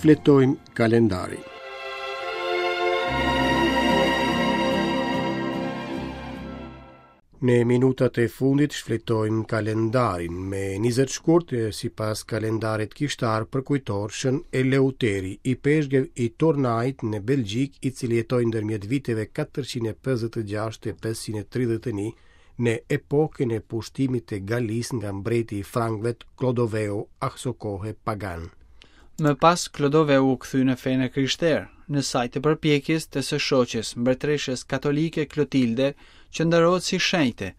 Shfletojmë kalendarin. Në minutat e fundit shfletojmë kalendarin. Me 20 shkurt, sipas kalendarit kishtar, përkujtohet Shën Eleuteri, ipeshkëv i Turnait në Belgjikë, i cili jetoi ndërmjet viteve 456 e 531 në epokën e pushtimit të Galisë nga mbreti i Frankëve Klodoveu, asokohe pagan. Më pas Klodoveu u kthye në fenë e krishterë, në sajë të përpjekjes të së shoqes, mbretëreshës katolike Klotilde, që nderohet si shenjte,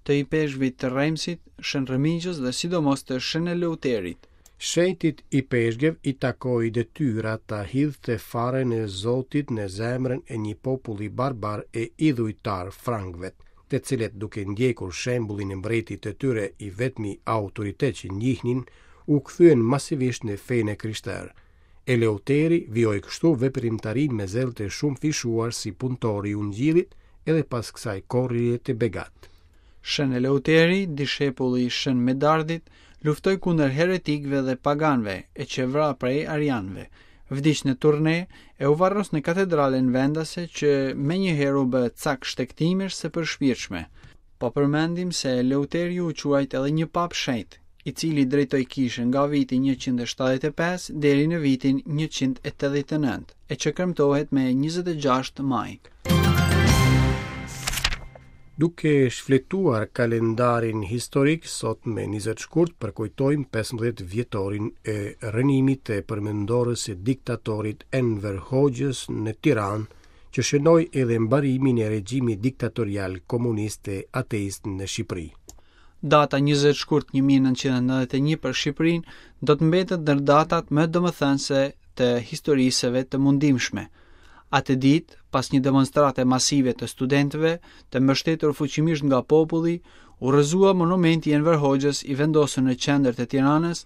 të ipeshkvit të Remsit, Shën Remigjës dhe sidomos të Shën Eleuterit. Shenjtit ipeshkëv i takoi detyra ta hidhte farën e Zotit në zemrën e një populli barbar e idhujtar frankëvet, të cilët duke ndjekur shembullin e mbretit të tyre i vetmi autoritet që njihnin, u kthyen masivisht në fenë e krishterë. Eleuteri vijoi kështu veprimtarinë me zell të shumëfishuar si punëtor i Ungjillit edhe pas kësaj korrjeje të begatë. Shën Eleuteri, dishepulli i Shën Medardit, luftoi kundër heretikëve dhe paganëve e qe vra prej arianëve. Vdiq në Turne e u varros në katedralen vendase që menjëherë u bë cak shtegtimesh së përshpirtshme. Po përmendim se Eleuteri u quajt edhe një papë shenjt, i cili drejtoi kishën nga viti 175 deri në vitin 189, e që kremtohet me 26 maj. Duke shfletuar kalendarin historik, sot me 20 shkurt përkujtojmë 15 vjetorin e rrënimit të përmendores së diktatorit Enver Hoxhës në Tiranë, që shënoi edhe mbarimin e regjimit diktatorial komunist e ateist në Shqipëri. Data 20 shkurt 1991 për Shqipërinë do të mbetet ndër datat më domethënëse të historisë së vet të mundimshme. Atë ditë, pas një demonstrate masive të studentëve, të mbështetur fuqimisht nga populli, u rrëzua monumenti i Enver Hoxhës i vendosur në qendër të Tiranës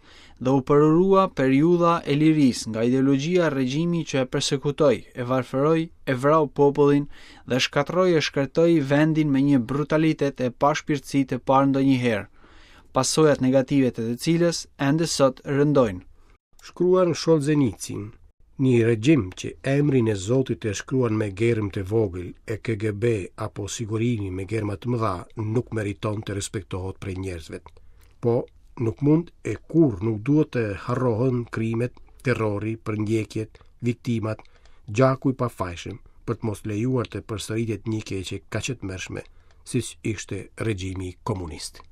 dhe u përurua periudha e lirisë nga ideologjia e regjimi që e persekutoi, e varfëroi, e vrau popullin dhe shkatërroi e shkretoi vendin me një brutalitet e pashpirtësi të parë ndonjëherë, pasojat negative të të cilës ende sot rëndojnë. Shkruan Solzhenicin, një regjim që emrin e Zotit e shkruan me germë të vogël e KGB apo sigurimi me germa të mëdha nuk meriton të respektohet prej njerëzve. Po, nuk mund e kurrë nuk duhet të harrohen krimet, terrori, përndjekjet, viktimat, gjaku i pafajshëm, për të mos lejuar të përsëritet një e keqe kaq e tmerrshme, siç ishte regjimi komunist.